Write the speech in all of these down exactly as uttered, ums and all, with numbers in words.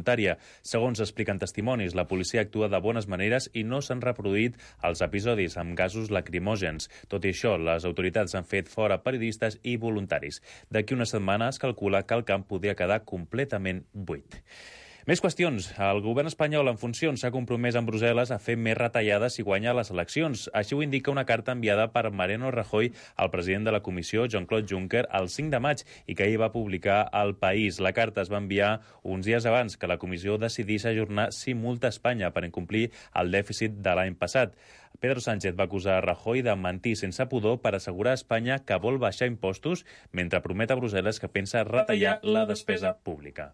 voluntària. Segons expliquen testimonis, la policia actua de bones maneres i no s'han reproduït els episodis amb gasos lacrimògens. Tot i això, les autoritats han fet fora periodistes i voluntaris. D'aquí una setmana es calcula que el camp podria quedar completament buit. Més qüestions. El govern espanyol en funcions s'ha compromès amb Brussel·les a fer més retallades si guanya les eleccions. Així ho indica una carta enviada per Mariano Rajoy al president de la Comissió, Jean-Claude Juncker, el cinc de maig i que ahir va publicar al País. La carta es va enviar uns dies abans que la Comissió decidís ajornar si multa Espanya per incomplir el dèficit de l'any passat. Pedro Sánchez va acusar a Rajoy de mentir sense pudor per assegurar a Espanya que vol baixar impostos mentre promet a Brussel·les que pensa retallar la despesa pública.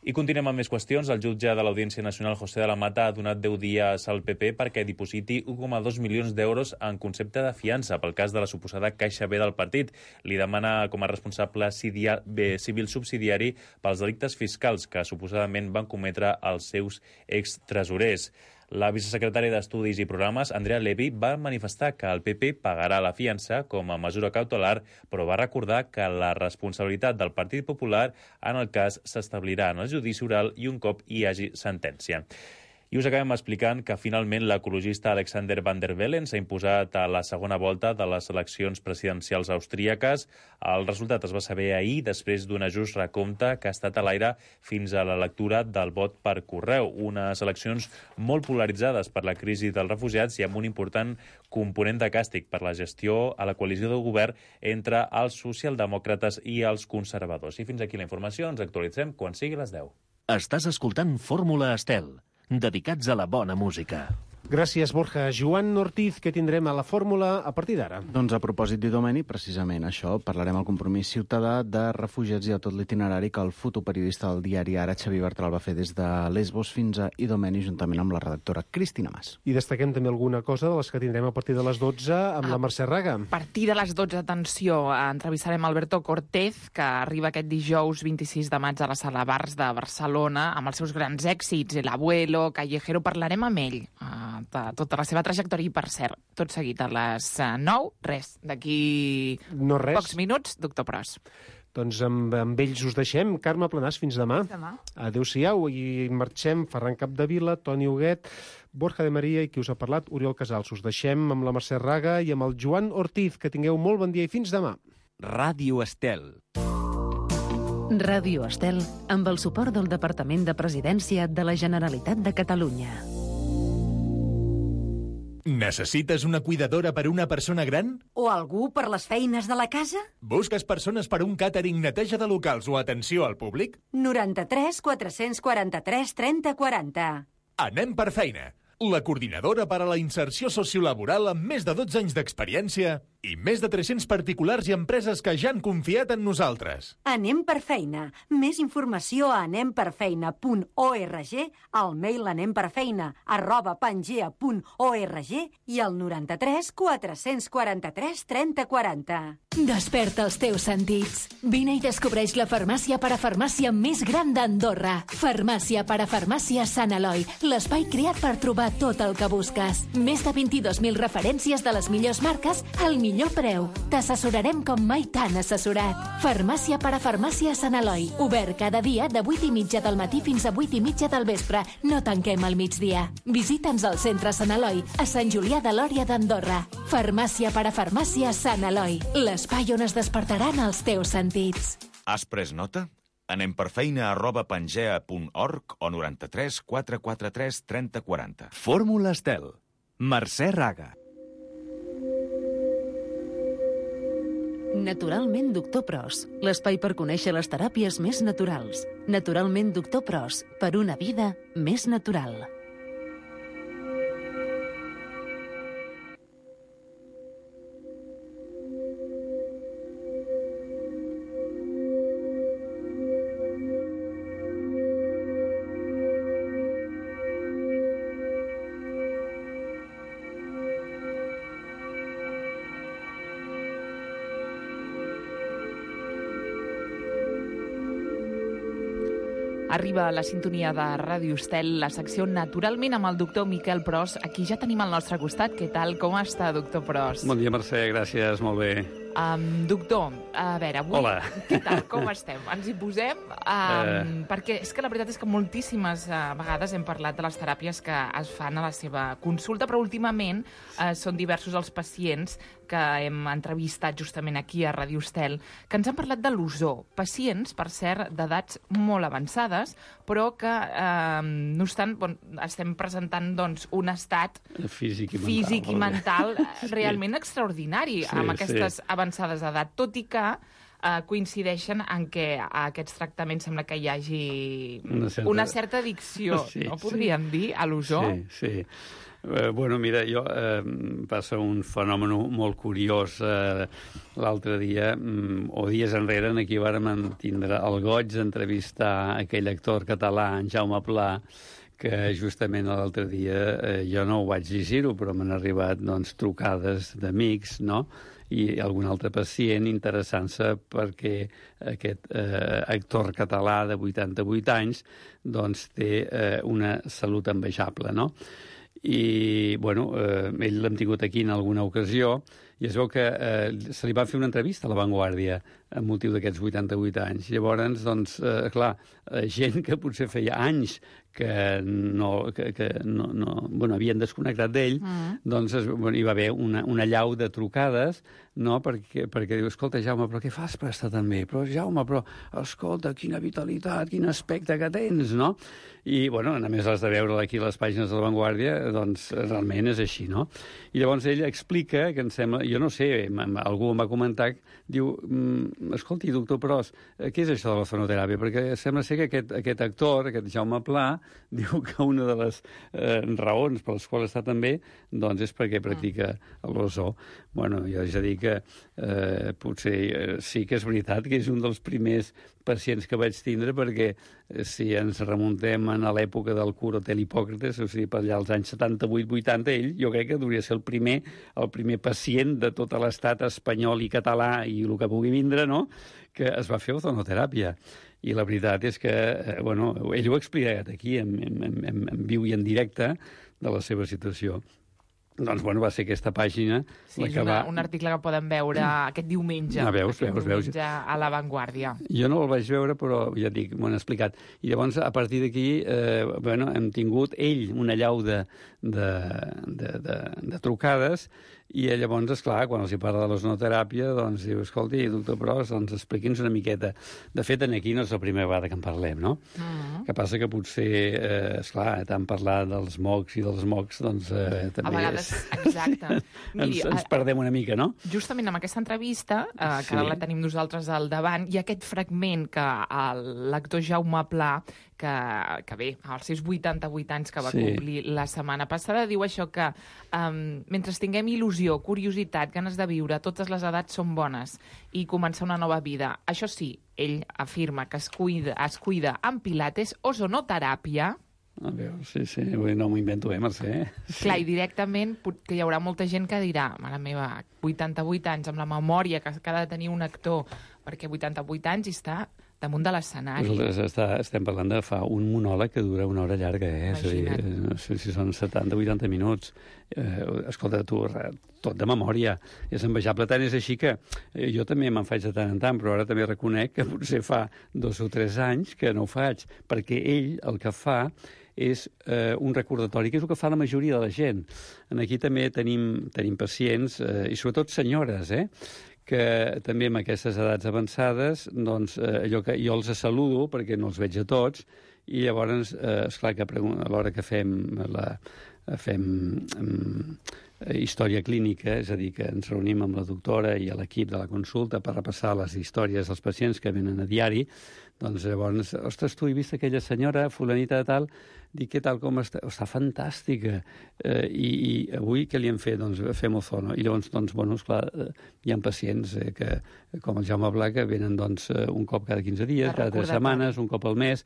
I continuem amb més qüestions. El jutge de l'Audiència Nacional, José de la Mata, ha donat deu dies al P P perquè dipositi un coma dos milions d'euros en concepte de fiança pel cas de la suposada Caixa B del partit. Li demana com a responsable civil subsidiari pels delictes fiscals que suposadament van cometre els seus extresorers. La vicesecretària d'Estudis i Programes, Andrea Levy, va manifestar que el P P pagarà la fiança com a mesura cautelar, però va recordar que la responsabilitat del Partit Popular en el cas s'establirà en el judici oral i un cop hi hagi sentència. I us acabem explicant que finalment l'ecologista Alexander Van der Bellen s'ha imposat a la segona volta de les eleccions presidencials austríaques. El resultat es va saber ahir després d'un ajust recompte que ha estat a l'aire fins a la lectura del vot per correu. Unes eleccions molt polaritzades per la crisi dels refugiats i amb un important component de càstig per la gestió a la coalició de govern entre els socialdemòcrates i els conservadors. I fins aquí la informació. Ens actualitzem quan sigui les deu. Estàs escoltant Fórmula Estel, dedicats a la bona música. Gràcies, Borja. Joan Ortiz, que tindrem a la fórmula a partir d'ara? Doncs a propòsit d'Idomeni, precisament això, parlarem al compromís ciutadà de refugiats i a tot l'itinerari que el fotoperiodista del diari Ara, Xavi Bertral, va fer des de Lesbos fins a Idomeni, juntament amb la redactora Cristina Mas. I destaquem també alguna cosa de les que tindrem a partir de les dotze amb a la Mercè Raga. A partir de les dotze, atenció, entrevistarem Alberto Cortés, que arriba aquest dijous vint-i-sis de maig a la Sala Bars de Barcelona, amb els seus grans èxits, El Abuelo, Callejero. Parlarem amb ell de tota la seva trajectòria i, per cert, tot seguit a les nou, res, d'aquí no res. Pocs minuts, doctor Pros. Doncs amb, amb ells us deixem. Carme Planàs, fins demà. Fins demà. Adéu-siau, i marxem. Ferran Capdevila, Toni Huguet, Borja de Maria i qui us ha parlat, Oriol Casals. Us deixem amb la Mercè Raga i amb el Joan Ortiz. Que tingueu molt bon dia i fins demà. Ràdio Estel. Ràdio Estel, amb el suport del Departament de Presidència de la Generalitat de Catalunya. Necessites una cuidadora per una persona gran? O algú per les feines de la casa? Busques persones per un càtering, neteja de locals o atenció al públic? noranta-tres quatre-cents quaranta-tres trenta quaranta. Anem per feina. La coordinadora per a la inserció sociolaboral amb més de dotze anys d'experiència i més de tres-cents particulars i empreses que ja han confiat en nosaltres. Anem per feina. Més informació a anem per feina punt org, al mail anemperfeina arroba pangea punt org i al noranta-tres quatre-cents quaranta-tres trenta quaranta. Desperta els teus sentits. Vine i descobreix la farmàcia parafarmàcia més gran d'Andorra. Farmàcia parafarmàcia Sant Eloi, l'espai creat per trobar tot el que busques. Més de vint-i-dos mil referències de les millors marques al millor preu. T'assessorarem com mai t'han assessorat. Farmàcia parafarmàcia Sant Eloi. Obert cada dia de vuit i mitja del matí fins a vuit i mitja del vespre. No tanquem al migdia. Visita'ns al centre Sant Eloi, a Sant Julià de Lòria d'Andorra. Farmàcia parafarmàcia Sant Eloi. L'espai on es despertaran els teus sentits. Has pres nota? Anem per feina arroba pangea punt org o noranta-tres quatre quatre tres trenta quaranta. Fórmula Estel. Mercè Raga. Naturalment Doctor Pros, l'espai per conèixer les teràpies més naturals. Naturalment Doctor Pros, per una vida més natural. Arriba a la sintonia de Ràdio Estel, la secció Naturalment amb el doctor Miquel Pros. Aquí ja tenim al nostre costat. Què tal? Com està, doctor Pros? Bon dia, Mercè. Gràcies. Molt bé. Um, doctor, a veure, avui... Hola. Què tal, com estem? Ens hi posem? Um, Uh. Perquè és que la veritat és que moltíssimes uh, vegades hem parlat de les teràpies que es fan a la seva consulta, però últimament uh, són diversos els pacients que hem entrevistat justament aquí a Ràdio Estel, que ens han parlat de l'ozó. Pacients, per cert, d'edats molt avançades, però que, eh, no obstant, bon, estem presentant doncs, un estat Físic i mental. físic i mental Sí. realment extraordinari Sí, amb aquestes sí. avançades d'edat, tot i que eh, coincideixen en què a aquests tractaments sembla que hi hagi Una certa- una certa addicció, Sí, no sí. podríem dir, a l'ozó? Sí, sí. Eh, bueno, mira, jo eh, passa un fenomen molt curiós. Eh, L'altre dia, mm, o dies enrere, aquí vàrem tindre el goig d'entrevistar aquell actor català, en Jaume Pla, que justament l'altre dia, eh, jo no ho vaig llegir-ho, però m'han arribat doncs, trucades d'amics, no?, i algun altre pacient interessant-se perquè aquest eh, actor català de vuitanta-vuit anys doncs, té eh, una salut envejable, no? I, bueno, eh, ell l'hem tingut aquí en alguna ocasió i es veu que eh, se li va fer una entrevista a La Vanguardia amb motiu d'aquests vuitanta-vuit anys. Llavors, doncs, eh, clar, eh, gent que potser feia anys que no, que, que no, no, bueno, havien desconnectat d'ell, mm. doncs es, bueno, hi va haver una, una llau de trucades, no?, perquè, perquè diu, escolta, Jaume, però què fas per estar tan bé? Però, Jaume, però, escolta, quina vitalitat, quin aspecte que tens, no? I, bueno, a més has de veure aquí les pàgines de La Vanguardia, doncs realment és així, no? I llavors ell explica, que em sembla, jo no sé, algú em va comentar, diu, escolti, doctor Pros, què és això de la fonoteràpia? Perquè sembla ser que aquest, aquest actor, aquest Jaume Pla, diu que una de les eh, raons per les quals està tan bé doncs és perquè practica l'ozó. Bueno, jo ja dic que eh, potser eh, sí que és veritat que és un dels primers pacients que vaig tindre, perquè eh, si ens remuntem a l'època del cura Hotel Hipòcrates, o sigui, per allà als anys setanta-vuit vuitanta, ell jo crec que hauria de ser el primer, el primer pacient de tot l'estat espanyol i català i el que pugui vindre, no?, que es va fer ozonoteràpia. I la veritat és que, eh, bueno, ell ho ha explicat aquí, en, en, en, en viu i en directe, de la seva situació. Doncs, bueno, va ser aquesta pàgina... Sí, la és que una, va... un article que podem veure aquest diumenge. Ah, veus, aquest veus, veus. diumenge a La Vanguardia. Jo no el vaig veure, però ja et dic, m'ho han explicat. I llavors, a partir d'aquí, eh, bueno, hem tingut ell una llau de, de, de, de, de trucades, i llavors, esclar, quan els hi parla de l'ozonoteràpia, doncs diu, escolti, doctor Pros, doncs expliqui'ns una miqueta. De fet, aquí no és la primera vegada que en parlem, no? Uh-huh. Que passa que potser, eh, esclar, tant parlar dels mocs i dels mocs, doncs eh, també a vegades, és... exacte. Miri, ens, ens perdem una mica, no? Justament amb aquesta entrevista, eh, que Sí. ara la tenim nosaltres al davant, i aquest fragment que l'actor Jaume Pla, que, que bé, als seus vuitanta-vuit anys que va Sí. complir la setmana passada, diu això que um, mentre tinguem il·lusió, curiositat, ganes de viure, totes les edats són bones i començar una nova vida. Això sí, ell afirma que es cuida, es cuida amb pilates, ozonoteràpia. A veure, sí, sí, no m'ho invento, eh, Mercè? Sí. Clar, i directament pot- que hi haurà molta gent que dirà, mare meva, vuitanta-vuit anys, amb la memòria que, que ha de tenir un actor, perquè vuitanta-vuit anys i està damunt de l'escenari. Nosaltres està, estem parlant de fa un monòleg que dura una hora llarga, eh? És a dir, Imagina't. no sé si són setanta o vuitanta minuts. Eh, escolta, tu, re- tot de memòria. És envejable. Tant és així que eh, jo també me'n faig de tant en tant, però ara també reconec que potser fa dos o tres anys que no ho faig, perquè ell el que fa és eh, un recordatori, que és el que fa la majoria de la gent. Aquí també tenim, tenim pacients, eh, i sobretot senyores, eh?, que també amb aquestes edats avançades, doncs, eh, allò que jo els saludo, perquè no els veig a tots, i llavors, eh, esclar, que a l'hora que fem la, fem um, història clínica, és a dir, que ens reunim amb la doctora i l'equip de la consulta per repassar les històries dels pacients que venen a diari, doncs llavors, ostres, tu he vist aquella senyora, fulanita de tal, dic, què tal, com està? Està fantàstica. Eh, i, I avui què li hem fet? Doncs fem ozono. I llavors, doncs, bueno, esclar, eh, hi ha pacients eh, que, com el Jaume Pla, que venen doncs, un cop cada quinze dies, cada tres setmanes, un cop al mes.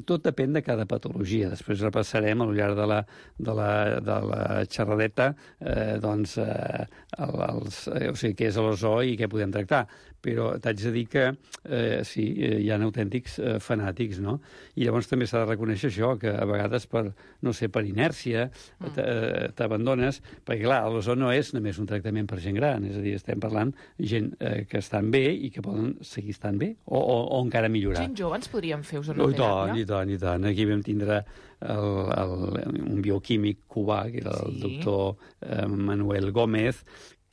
Tot depèn de cada patologia. Després repassarem al llarg de la, de la, de la xerradeta eh, doncs, eh, el, els, eh, o sigui, què és l'ozó i què podem tractar. Però t'haig de dir que eh, sí, ja n'heu autèntics eh, fanàtics, no? I llavors també s'ha de reconèixer això, que a vegades per, no sé, per inèrcia t'abandones, perquè clar, l'ozó no és només un tractament per gent gran, és a dir, estem parlant gent eh, que estan bé i que poden seguir estant bé, o, o, o encara millorar. Gent jove ens podríem fer Oh, ozonoteràpia? I tant, i tant. Aquí vam tindre el, el, un bioquímic cubà, que era el sí. doctor eh, Manuel Gómez,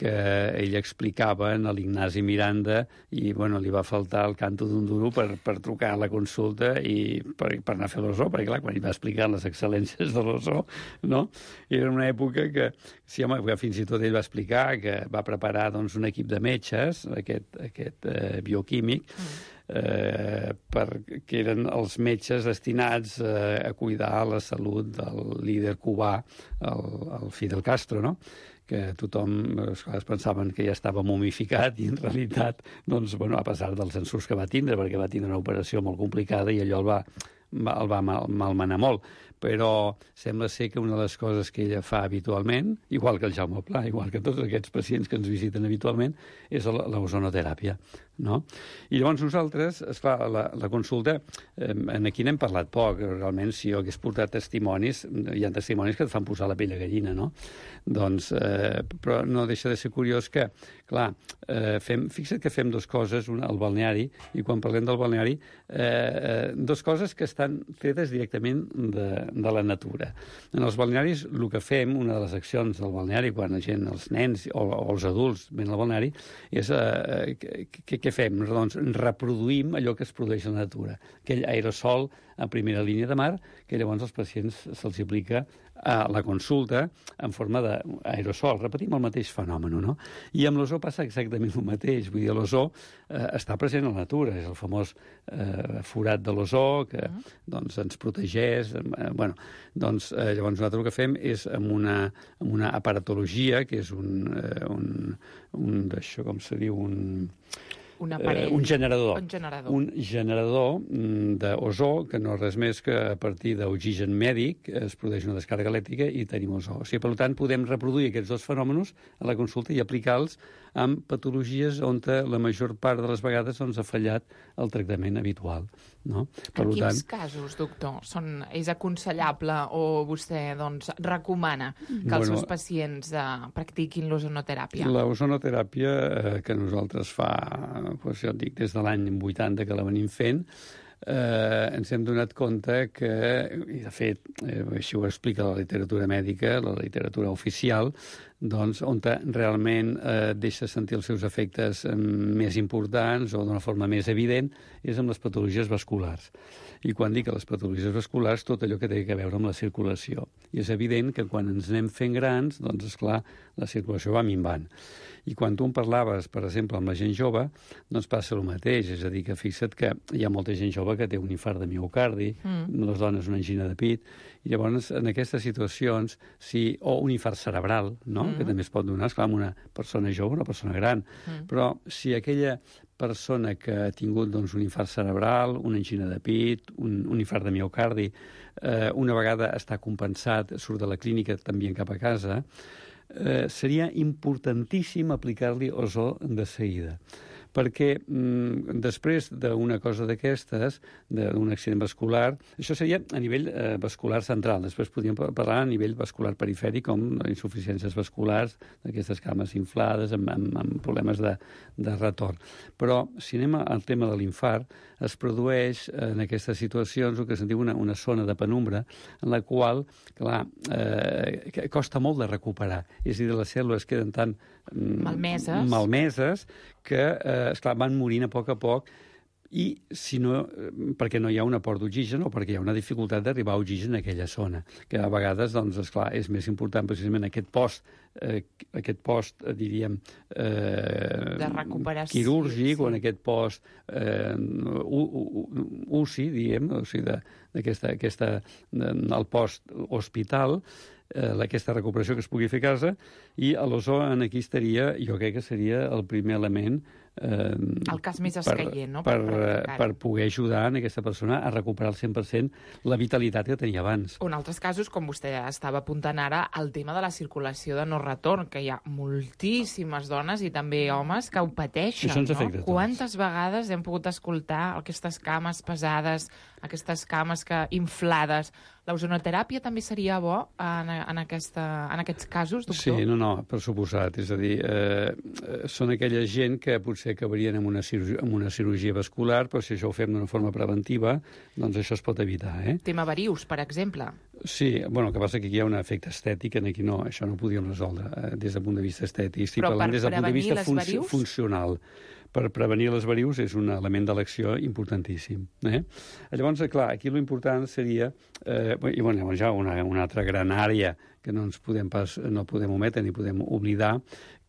que ell explicava a l'Ignasi Miranda i bueno, li va faltar el canto d'un duro per, per trucar a la consulta i per, per anar a fer l'ozó, perquè clar, quan ell va explicar les excel·lències de l'ozó, no? Era una època que, sí, home, que fins i tot ell va explicar que va preparar doncs, un equip de metges, aquest, aquest eh, bioquímic, mm. Eh, per, que eren els metges destinats eh, a cuidar la salut del líder cubà, el, el Fidel Castro, no? Que tothom es pensaven que ja estava momificat i en realitat, doncs, bueno, a pesar dels ensurts que va tindre, perquè va tindre una operació molt complicada i allò el va, va, el va mal, malmenar molt. Però sembla ser que una de les coses que ella fa habitualment, igual que el Jaume Pla, igual que tots aquests pacients que ens visiten habitualment, és l'ozonoteràpia, no? I llavors nosaltres, esclar, la, la consulta, eh, aquí n'hem parlat poc, realment, si jo hagués portat testimonis, hi ha testimonis que et fan posar la pell de gallina, no? Doncs, eh, però no deixa de ser curiós que, clar, eh, fem, fixa't que fem dues coses, una al balneari, i quan parlem del balneari, eh, dues coses que estan fetes directament de, de la natura. En els balnearis, el que fem, una de les accions del balneari, quan la gent, els nens o, o els adults venen al balneari, és eh, què, què fem? Doncs reproduïm allò que es produeix a la natura. Aquell aerosol a primera línia de mar, que llavors als pacients se'ls aplica a la consulta en forma d'aerosol. Repetim el mateix fenomen, no? I amb l'ozó passa exactament el mateix. Vull dir, l'ozó eh, està present a la natura, és el famós eh, forat de l'ozó que uh -huh. doncs, ens protegeix. Eh, bueno, doncs, eh, llavors nosaltres el que fem és amb una, amb una aparatologia, que és un, eh, un, un d'això, com se diu, un... Un aparell. Eh, un generador. Un generador. Un generador d'ozó, que no és res més que a partir d'oxigen mèdic es produeix una descàrrega elèctrica i tenim ozó. O sigui, per tant, podem reproduir aquests dos fenòmenos a la consulta i aplicar-los amb patologies on la major part de les vegades doncs, ha fallat el tractament habitual. No? Per en tant, quins casos, doctor, són, és aconsellable o vostè doncs, recomana que bueno, els seus pacients eh, practiquin l'ozonoteràpia? L'ozonoteràpia eh, que nosaltres fa, doncs jo et dic, des de l'any vuitanta que la venim fent, eh, ens hem donat compte que, i de fet, eh, així ho explica la literatura mèdica, la literatura oficial, doncs, on realment eh, deixa sentir els seus efectes eh, més importants o d'una forma més evident és amb les patologies vasculars. I quan dic les patologies vasculars, tot allò que té a veure amb la circulació. I és evident que quan ens anem fent grans, doncs, esclar, la circulació va minvant. I quan tu em parlaves, per exemple, amb la gent jove, doncs passa el mateix. És a dir, que fixa't que hi ha molta gent jove que té un infart de miocardi, mm. les dones una angina de pit, i llavors en aquestes situacions, si, o un infart cerebral, no? Mm. que també es pot donar, esclar, amb una persona jove, una persona gran, mm. però si aquella persona que ha tingut doncs, un infart cerebral, una angina de pit, un, un infart de miocardi, eh, una vegada està compensat, surt de la clínica també cap a casa, eh, seria importantíssim aplicar-li ozó de seguida. Perquè mm, després d'una cosa d'aquestes, d'un accident vascular, això seria a nivell eh, vascular central, després podríem parlar a nivell vascular perifèric, com insuficiències vasculars, d'aquestes cames inflades, amb, amb, amb problemes de, de retorn. Però si anem al tema de l'infart, es produeix en aquestes situacions el que se'n diu una, una zona de penumbra, en la qual, clar, eh, costa molt de recuperar. És a dir, les cèl·lules queden tan malmeses, malmeses que, eh, esclar, van morint a poc a poc, i si no, perquè no hi ha un aport d'oxigen o perquè hi ha una dificultat d'arribar a oxigen en aquella zona, que a vegades, doncs, esclar, és més important precisament aquest post, eh, aquest post, eh, diríem, eh, de recuperació, quirúrgic, sí. o en aquest post eh, U C I, diguem, o sigui, d'aquesta, aquesta, el post hospital, eh, aquesta recuperació que es pugui fer a casa, i l'ozó en aquí estaria, jo crec que seria el primer element Eh, el cas més escaient, no? Per, per, per poder ajudar en aquesta persona a recuperar al cent per cent la vitalitat que tenia abans. O en altres casos, com vostè estava apuntant ara, el tema de la circulació de no retorn, que hi ha moltíssimes dones i també homes que ho pateixen, Això ens afecta no? a tots. Quantes vegades hem pogut escoltar aquestes cames pesades, aquestes cames que inflades? L'ozonoteràpia també seria bo en, en, aquesta, en aquests casos, doctor? Sí, no, no, per suposat. És a dir, eh, són aquella gent que potser acabarien amb una, cirurgia, amb una cirurgia vascular, però si això ho fem d'una forma preventiva, doncs això es pot evitar, eh? Tema varius, per exemple. Sí, bueno, el que passa que aquí hi ha un efecte estètic, en aquí no, això no ho podíem resoldre eh, des del punt de vista estètic. Estic Però parlant per des del punt de vista prevenir les fun varius? funcional. Per prevenir les varius és un element d'elecció importantíssim. Eh? Llavors, clar, aquí l'important seria, eh, i bueno, llavors hi ha una, una altra gran àrea que no ens podem pas, no podem ometre ni podem oblidar,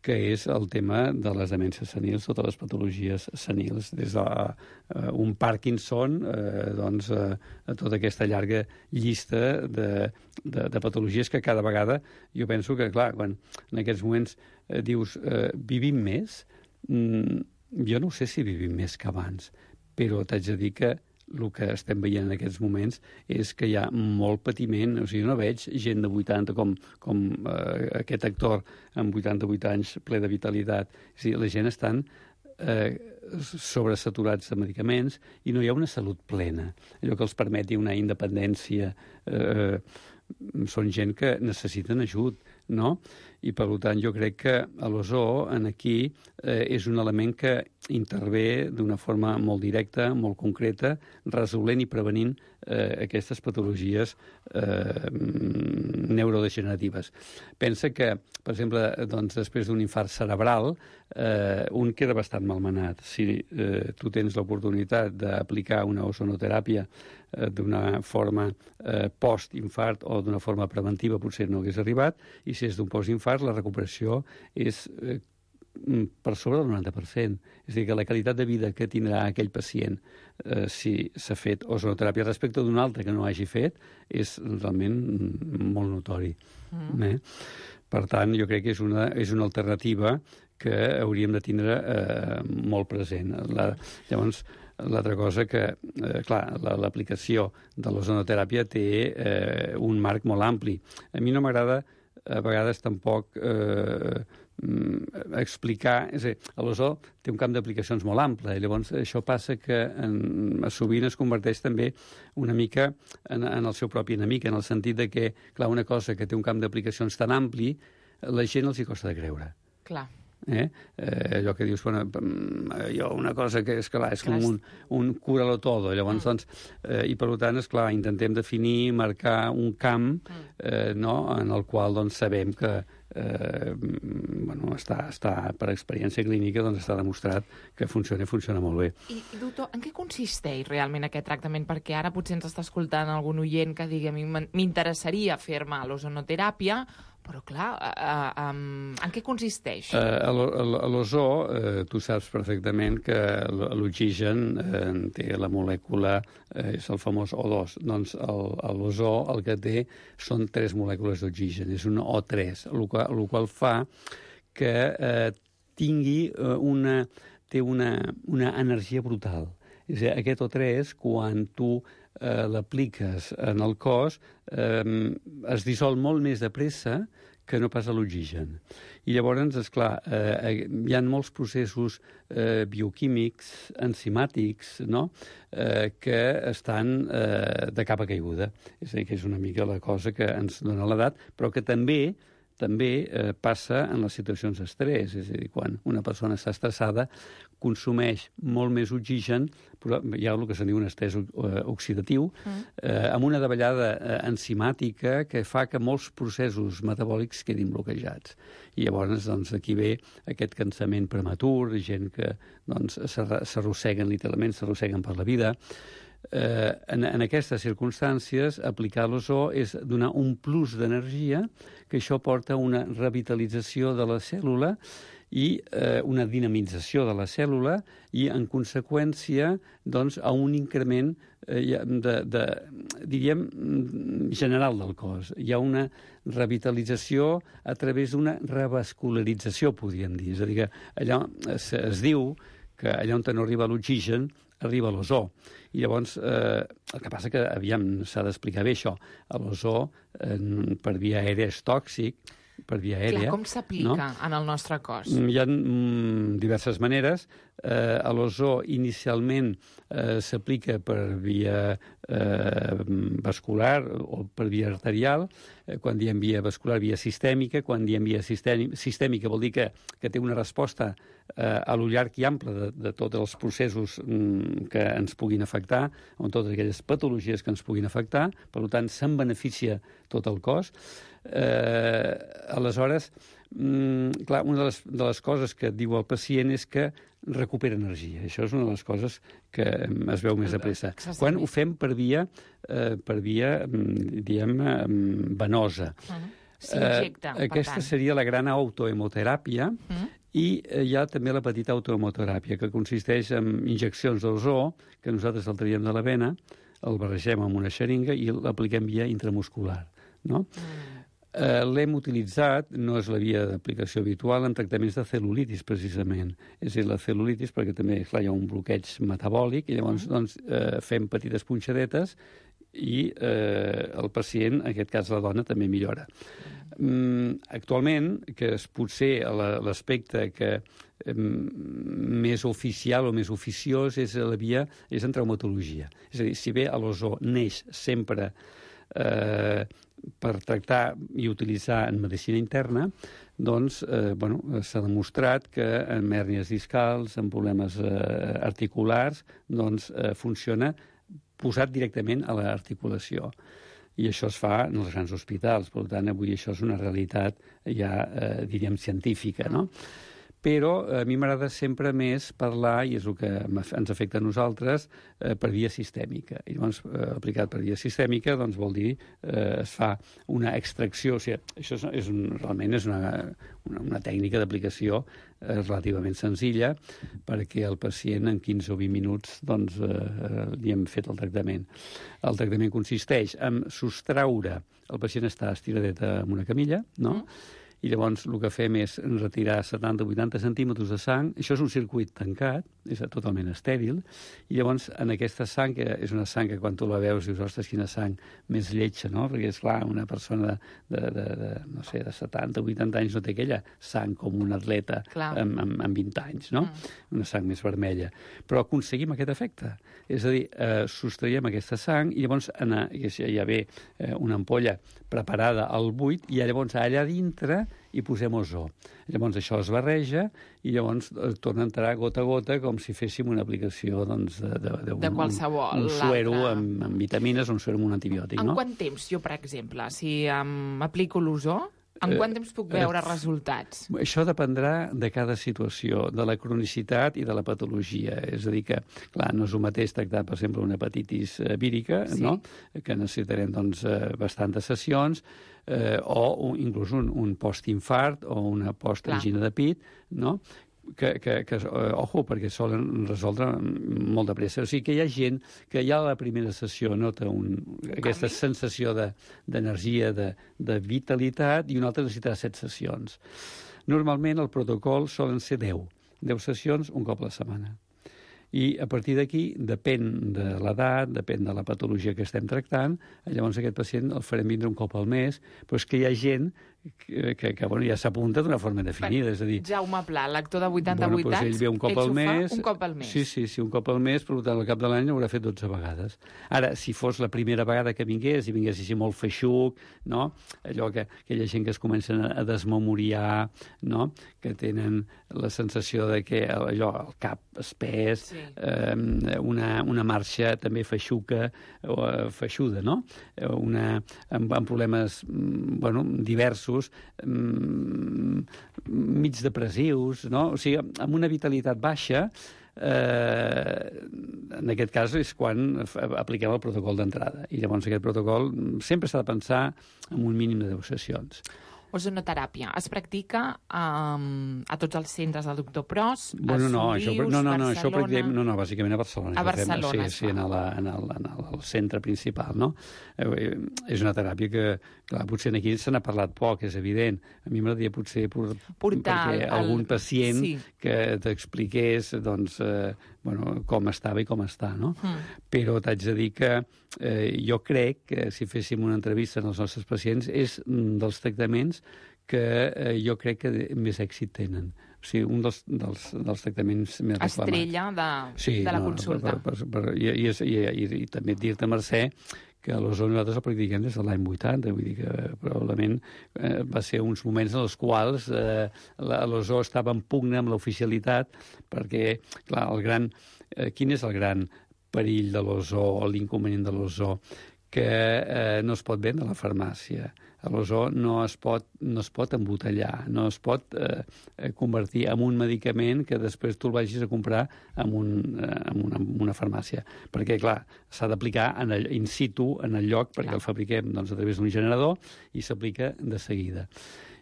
que és el tema de les demències senils, totes les patologies senils, des d'un de, uh, Parkinson eh, doncs, uh, a tota aquesta llarga llista de, de, de patologies que cada vegada, jo penso que, clar, quan en aquests moments eh, dius eh, vivim més, mm, jo no sé si vivim més que abans, però t'haig de dir que el que estem veient en aquests moments és que hi ha molt patiment. O sigui, no veig gent de vuitanta com, com eh, aquest actor amb vuitanta-vuit anys ple de vitalitat. O sigui, la gent estan eh, sobresaturats de medicaments i no hi ha una salut plena. Allò que els permeti una independència. Eh, són gent que necessiten ajut, no? I, per tant, jo crec que l'ozó en aquí eh, és un element que intervé d'una forma molt directa, molt concreta, resolent i prevenint eh, aquestes patologies eh, neurodegeneratives. Pensa que, per exemple, doncs, després d'un infart cerebral, eh, un queda bastant malmenat. Si eh, tu tens l'oportunitat d'aplicar una ozonoteràpia eh, d'una forma eh, post-infart o d'una forma preventiva, potser no hagués arribat, i si és d'un post-infart, la recuperació és eh, per sobre del noranta per cent. És a dir, que la qualitat de vida que tindrà aquell pacient eh, si s'ha fet ozonoteràpia respecte d'un altre que no hagi fet és realment molt notori. Mm. Eh? Per tant, jo crec que és una, és una alternativa que hauríem de tindre eh, molt present. La, llavors, l'altra cosa que, eh, clar, l'aplicació de l'ozonoteràpia té eh, un marc molt ampli. A mi no m'agrada a vegades tampoc eh, explicar... És a dir, l'ozó té un camp d'aplicacions molt ample, i llavors això passa que en, sovint es converteix també una mica en, en el seu propi enemic, en el sentit de que, clar, una cosa que té un camp d'aplicacions tan ampli, la gent els hi costa de creure. Clar. Eh? Eh, allò que dius, bueno, jo una cosa que és clar, és com un, un cura-lo todo, llavors, doncs, eh, i per tant, és clar, intentem definir, marcar un camp eh, no? En el qual doncs, sabem que eh, bueno, està, està per experiència clínica, doncs està demostrat que funciona i funciona molt bé. I, doctor, en què consisteix realment aquest tractament? Perquè ara potser ens està escoltant algun oient que digui a mi m'interessaria fer-me l'ozonoteràpia, però, clar, uh, um, en què consisteix? Uh, a l'ozó, uh, tu saps perfectament que l'oxigen uh, té la molècula, uh, és el famós O dos. Doncs l'ozó el que té són tres molècules d'oxigen, és un O tres, el qual, el qual fa que uh, tingui uh, una, té una, una energia brutal. És a dir, aquest O tres, quan tu eh, l'apliques en el cos, eh, es dissol molt més de pressa que no pas a l'oxigen. I llavors, esclar, eh, hi ha molts processos eh, bioquímics, enzimàtics, no?, eh, que estan eh, de capa caiguda. És a dir, que és una mica la cosa que ens dona l'edat, però que també també eh, passa en les situacions d'estrès. És a dir, quan una persona està estressada, consumeix molt més oxigen, però hi ha el que se'n diu un estrès oxidatiu, eh, amb una davallada eh, enzimàtica que fa que molts processos metabòlics quedin bloquejats. I llavors, doncs, aquí ve aquest cansament prematur, gent que doncs, s'arrosseguen, literalment, s'arrosseguen per la vida. Eh, en, en aquestes circumstàncies, aplicar l'ozó és donar un plus d'energia, que això porta a una revitalització de la cèl·lula i eh, una dinamització de la cèl·lula i, en conseqüència, doncs, a un increment eh, de, de, diríem, general del cos. Hi ha una revitalització a través d'una revascularització, podríem dir. És a dir, que allò es, es diu que allà on no arriba l'oxigen, arriba l'ozó. I llavors, eh, el que passa que, aviam, s'ha d'explicar bé això. L'ozó, eh, per via aèria, és tòxic, per via aèria. Clar, com s'aplica no? en el nostre cos? Hi ha mm, diverses maneres. Eh, l'ozó inicialment eh, s'aplica per via eh, vascular o per via arterial. Eh, quan diem via vascular, via sistèmica. Quan diem via sistèmica vol dir que, que té una resposta eh, a lo llarg i ample de, de tots els processos mm, que ens puguin afectar, o totes aquelles patologies que ens puguin afectar. Per tant, se'n beneficia tot el cos. Eh, aleshores, mm, clar, una de les, de les coses que diu el pacient és que recupera energia. Això és una de les coses que es veu més de pressa. Quan ho fem per via, eh, per via diguem, venosa. Uh-huh. S'injecta, eh, aquesta tant. seria la gran autohemoteràpia, uh-huh. I hi ha també la petita autohemoteràpia, que consisteix en injeccions d'ozó, que nosaltres el traiem de la vena, el barregem amb una xeringa i l'apliquem via intramuscular. No? Mm. Eh, l'hem utilitzat, no és la via d'aplicació habitual, en tractaments de cel·lulitis, precisament. És a dir, la cel·lulitis, perquè també clar, hi ha un bloqueig metabòlic, i llavors mm. doncs, eh, fem petites punxadetes i eh, el pacient, en aquest cas la dona, també millora. Mm, actualment, que és potser l'aspecte que eh, més oficial o més oficiós és la via, és en traumatologia. És a dir, si bé l'ozó neix sempre eh, per tractar i utilitzar en medicina interna, doncs eh, bueno, s'ha demostrat que en hèrnies discals, en problemes eh, articulars, doncs eh, funciona posat directament a l'articulació. I això es fa en els grans hospitals. Per tant, avui això és una realitat ja, eh, diríem, científica, no? Però a mi m'agrada sempre més parlar, i és el que ens afecta a nosaltres, eh, per via sistèmica. I llavors, eh, aplicat per via sistèmica, doncs vol dir eh, es fa una extracció. O sigui, això és, és un, realment és una, una, una tècnica d'aplicació eh, relativament senzilla, perquè el pacient en quinze o vint minuts doncs, eh, li hem fet el tractament. El tractament consisteix en sostraure, el pacient està estiradet en una camilla, no?, mm. i llavors el que fem és retirar setanta o vuitanta centímetres de sang. Això és un circuit tancat, és totalment estèril, i llavors en aquesta sang, que és una sang que quan tu la veus dius, ostres, quina sang més lletja, no? Perquè, és clar, una persona de, de, de, de no sé, de setanta o vuitanta anys no té aquella sang com un atleta amb, amb, amb vint anys, no? Mm. Una sang més vermella. Però aconseguim aquest efecte. És a dir, eh, sostraiem aquesta sang i llavors anar, hi ha bé eh, una ampolla preparada al buit i llavors allà dintre i posem ozó. Llavors això es barreja i llavors torna a entrar gota a gota com si féssim una aplicació doncs, de, de, de, de qualsevol. Un, un suero amb, amb vitamines o un suero amb un antibiòtic. En no? quant temps, jo, per exemple, si um, aplico l'ozó, en quant temps puc veure eh, resultats? Això dependrà de cada situació, de la cronicitat i de la patologia. És a dir que, clar, no és el mateix tractar, per exemple, una hepatitis vírica, sí. no? Que necessitarem doncs, bastantes sessions, eh, o un, inclús un, un postinfart o una postangina de pit, no? que, que, que uh, ojo, perquè solen resoldre molt de pressa. O sigui que hi ha gent que ja a la primera sessió nota un, aquesta sensació d'energia, de, de, de vitalitat, i una altra necessitarà set sessions. Normalment el protocol solen ser deu. deu sessions un cop a la setmana. I a partir d'aquí, depèn de l'edat, depèn de la patologia que estem tractant, llavors aquest pacient el farem vindre un cop al mes, però és que hi ha gent que, que, que bueno, ja s'apunta d'una forma definida. És a dir, Jaume Pla, l'actor de vuitanta-vuit bueno, doncs anys, ell ve un cop ell al mes, fa un cop al mes. Sí, sí, sí, un cop al mes, per tant, al cap de l'any haurà fet dotze vegades. Ara, si fos la primera vegada que vingués, i vingués així molt feixuc, no? Allò que aquella gent que es comencen a desmemoriar, no? Que tenen la sensació de que allò, el cap espès, sí. eh, una, una marxa també feixuca, o feixuda, no? Una, amb, amb problemes bueno, diversos, mig depressius, no? O sigui, amb una vitalitat baixa, eh, en aquest cas és quan apliquem el protocol d'entrada. I llavors aquest protocol sempre s'ha de pensar en un mínim de deu sessions. Ozonoteràpia. Es practica um, a tots els centres del doctor Pros, bueno, no, a Solius, això, no, no, no, Barcelona... això practiquem, no, no, bàsicament a Barcelona. A Barcelona, fem, sí, sí, en, la, en, el, en el centre principal, no? Eh, és una teràpia que, clar, potser aquí se n'ha parlat poc, és evident. A mi m'agradaria potser por, portar perquè el, algun pacient sí. que t'expliqués, doncs, eh, bueno, com estava i com està, no? Mm. Però t'haig de dir que eh, jo crec que si féssim una entrevista als nostres pacients és dels tractaments que eh, jo crec que més èxit tenen. O sigui, un dels, dels, dels tractaments més reclamats. Estrella de, sí, de la no, consulta. Per, per, per, i, i, i, i, I també dir-te, Mercè, que a l'ozó nosaltres el practiquem des de l'any vuitanta, vull dir que probablement eh, va ser uns moments en els quals eh, l'ozó estava en pugna amb l'oficialitat, perquè, clar, el gran... Eh, quin és el gran perill de l'ozó o l'inconvenient de l'ozó? Que eh, no es pot vendre a la farmàcia. L'ozó no es pot, no es pot embotellar, no es pot eh, convertir en un medicament que després tu el vagis a comprar en, un, eh, en, una, en una farmàcia. Perquè, clar, s'ha d'aplicar en el, in situ, en el lloc, perquè clar. El fabriquem doncs, a través d'un generador i s'aplica de seguida.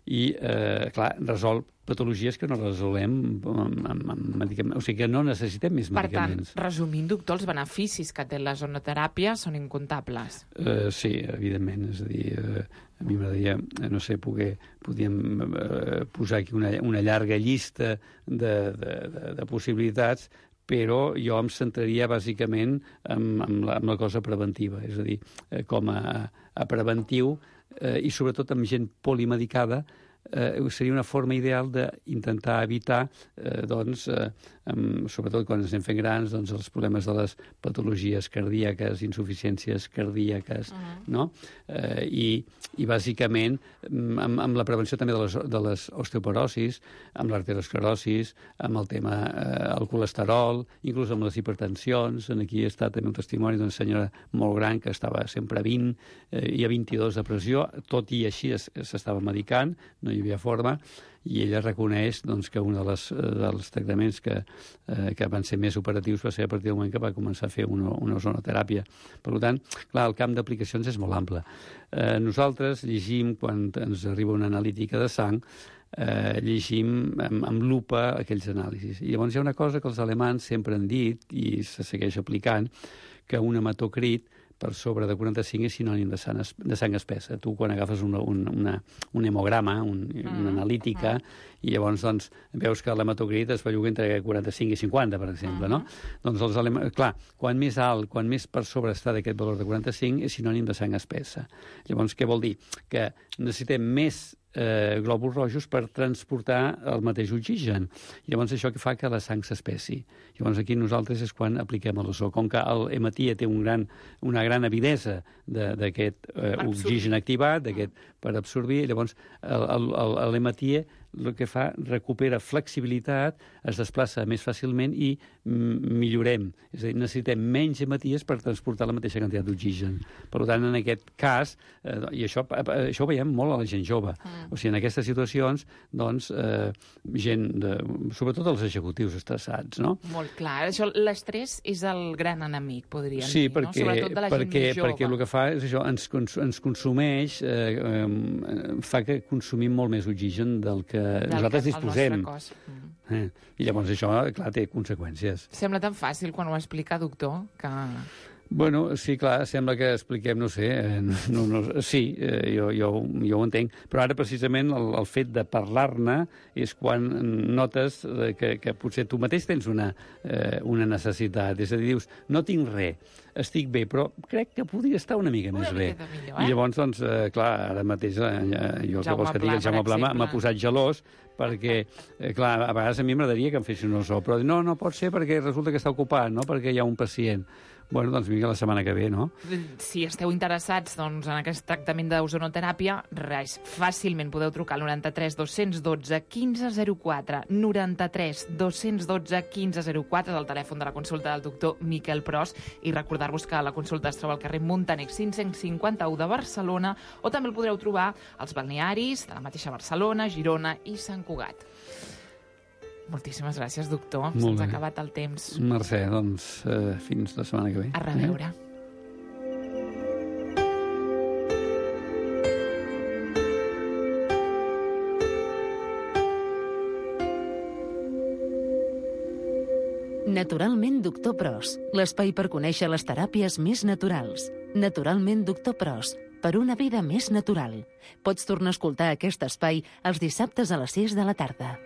I, eh, clar, resol patologies que no resolem amb, amb, amb medicaments. O sigui que no necessitem més per medicaments. Per tant, resumint, doctor, els beneficis que té l'ozonoteràpia són incomptables. Uh, sí, evidentment. És a dir, uh, a mi m'agradaria, no sé, poder, podíem uh, posar aquí una, una llarga llista de, de, de, de possibilitats, però jo em centraria bàsicament en, en, la, en la cosa preventiva. És a dir, eh, com a, a preventiu eh, i sobretot amb gent polimedicada, eh, seria una forma ideal d'intentar evitar, eh, doncs, eh, amb, sobretot quan ens anem fent grans, doncs, els problemes de les patologies cardíaques, insuficiències cardíaques, uh-huh. no? Eh, i, I, bàsicament, amb, amb la prevenció també de les, de les osteoporosis, amb l'arteriosclerosis, amb el tema, eh, el colesterol, inclús amb les hipertensions. Aquí ha estat també un testimoni d'una senyora molt gran que estava sempre a vint eh, i a vint-i-dos de pressió, tot i així s'estava medicant, no hi havia forma, i ella reconeix doncs, que un de les, dels tractaments que, eh, que van ser més operatius va ser a partir del moment que va començar a fer una, una ozonoteràpia. Per tant, clar, el camp d'aplicacions és molt ample. Eh, nosaltres llegim, quan ens arriba una analítica de sang, eh, llegim amb, amb lupa aquells anàlisis. I llavors hi ha una cosa que els alemans sempre han dit, i se segueix aplicant, que un hematocrit per sobre de quaranta-cinc és sinònim de sang, de sang espessa. Tu, quan agafes una, una, un hemograma, un, una analítica, i llavors doncs, veus que l'hematocrit es belluga entre quaranta-cinc i cinquanta, per exemple, no? Doncs, els alem... clar, quan més alt, quan més per sobre està d'aquest valor de quaranta-cinc, és sinònim de sang espessa. Llavors, què vol dir? Que necessitem més Eh, glòbuls rojos per transportar el mateix oxigen. I llavors això que fa que la sang s'espessi. Llavors aquí nosaltres és quan apliquem l'ozó. Com que l'hematia té un gran, una gran avidesa d'aquest eh, oxigen activat, d'aquest per absorbir, llavors l'hematia el que fa, recupera flexibilitat, es desplaça més fàcilment i millorem. És a dir, necessitem menys hematies per transportar la mateixa quantitat d'oxigen. Per tant, en aquest cas, eh, i això, això ho veiem molt a la gent jove, mm. o sigui, en aquestes situacions, doncs, eh, gent, de, sobretot els executius estressats, no? Molt clar. Això, l'estrès és el gran enemic, podríem sí, dir, perquè, no? Sobretot de la perquè, gent jove. Perquè el que fa és això, ens, ens consumeix, eh, eh, fa que consumim molt més oxigen del que del nosaltres que, disposem. Mm. Eh, I llavors això, clar, té conseqüències. Sembla tan fàcil quan ho explica, doctor, que... Bueno, sí, clar, sembla que expliquem, no sé, eh, no, no, sí, eh, jo, jo, jo ho entenc, però ara precisament el, el fet de parlar-ne és quan notes eh, que, que potser tu mateix tens una, eh, una necessitat, és a dir, dius, no tinc res, estic bé, però crec que podria estar una mica més bé. Millor, eh? I llavors, doncs, eh, clar, ara mateix eh, jo que vols que digui, el Jaume Pla m'ha posat gelós, perquè, eh, clar, a vegades a mi m'agradaria que em fessin un zoo, però no, no pot ser perquè resulta que està ocupat, no?, perquè hi ha un pacient. Bueno, doncs vinga la setmana que ve, no? Si esteu interessats doncs, en aquest tractament d'ozonoteràpia, res, fàcilment podeu trucar al noranta-tres dos-cents dotze quinze zero quatre, noranta-tres dos-cents dotze quinze zero quatre, del telèfon de la consulta del doctor Miquel Pros, i recordar-vos que la consulta es troba al carrer Montaner cinc-cents cinquanta-u de Barcelona, o també el podreu trobar als balnearis de la mateixa Barcelona, Girona i Sant Cugat. Moltíssimes gràcies, doctor. Se'ns ha acabat el temps. Mercè, doncs, eh, fins la setmana que ve. A reveure. Eh? Naturalment Doctor Pros, l'espai per conèixer les teràpies més naturals. Naturalment Doctor Pros, per una vida més natural. Pots tornar a escoltar aquest espai els dissabtes a les sis de la tarda.